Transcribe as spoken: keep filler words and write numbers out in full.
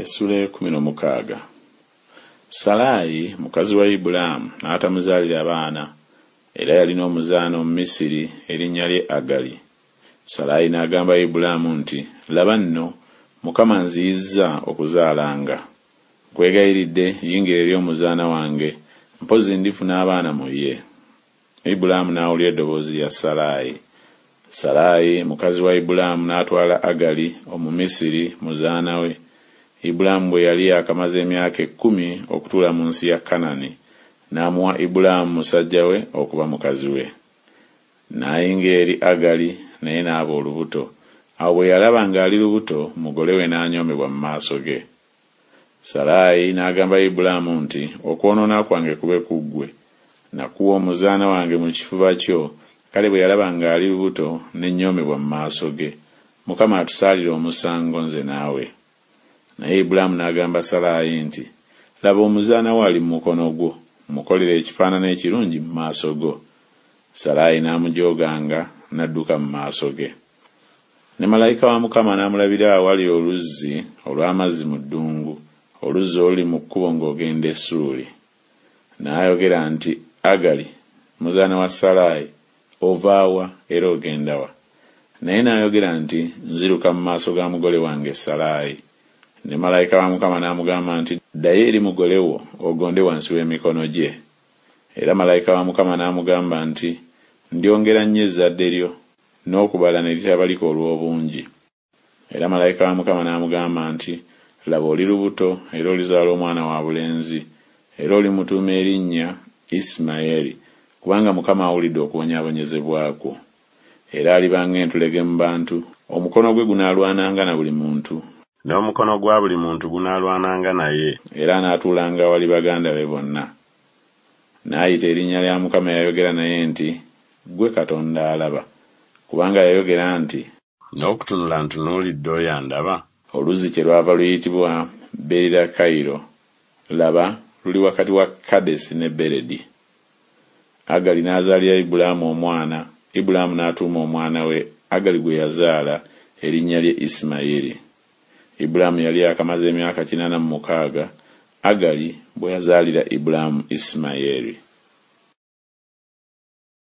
Essula ekumi n'omukaaga. Salaayi mukazi wa Ibulaamu n'atamuzaalira baana, era yalina omuzaana Omumisiri erinnya lye Agali. Salaayi n'agamba Ibulaamu nti, Laba nno, Mukama anziyizza okuzaalanga. Nkwegayiridde yingira eri omuzaana wange, mpozzi ndifuna abaana mu ye. Ibulaamu n'awulira eddoboozi lya Salaayi. Salaayi mukazi wa Ibulaamu n'atwala Agali Omumisiri muzaana we. Ibulaamu bwe yali yaakamaze emyaka ekkumi okutuula mu nsi ya Kanani, n'amuwa Ibulaamu musajja we okuba mukazi we. N'ayingira eri Agali, naye n'aba olubuto. Awo bwe yalaba ng'ali lubuto, mugole we n'anyoomebwa mu maaso ge. Salaayi n'agamba Ibulaamu nti, Okwonoona kwange kube ku ggwe. Nakuwa omuzaana wange mu kifuba kyo, kale bwe yalaba ng'ali lubuto, ne nnyoomebwa mu maaso ge. Mukama atusaalire omusango nze naawe. Naye Ibulaamu n'agamba Salaayi nti, Laba omuzaana wo ali mu mukono gwo, mukolere ekifaanana ekirungi mu maaso go. Salaayi n'amujooganga, n'adduka mu maaso ge. Ne malayika wa Mukama n'amulabira awali oluzzi olw'amazzi mu ddungu, oluzzi oluli mu kkubo ng'ogenda e Ssuuli. N'ayogera nti, Agali, muzaana wa Salaayi, ova wa era ogenda wa? Naye n'ayogera nti, Nziruka mu maaso ga mugole wange Salaayi. Ne malayika wa Mukama n'amugamba nti, Ddayo eri mugole wo, ogonde wansi w'emikono gye. Era malayika wa Mukama n'amugamba nti, Ndyongera nnyo ezzadde lyo, n'okubala ne litabalika olw'obungi. Era malayika wa Mukama n'amugamba nti, Laba oli lubuto, era olizaala omwana wa bulenzi, era olimutuuma erinnya Isimayeri, kubanga Mukama awulidde okubonyaabonyezebwa kwo. Era aliba ng'entulege mu bantu, omukono gwe gunaalwananga na buli muntu, n'omukono gwa buli muntu gunaalwananga naye, era anaatuulanga awali baganda be bonna. N'ayita erinnya lya Mukama eyayogera naye nti, Ggwe Katonda alaba, kubanga yayogera nti, N'okutunula ntunuulidde oyo andaba. Oluzzi kyerwava luyitibwa Beerirakairo, laba luli wakati wa Kadesi ne Beredi. Agali n'azaalira Ibulaamu omwana, Ibulaamu n'atuuma omwana we Agali gwe yazaala erinnya lye Isimayiri. Ibulaamu yali yaakamaze emyaka kinaana mu mukaaga, Agali bwe yazaalira Ibulaamu Isimayeri.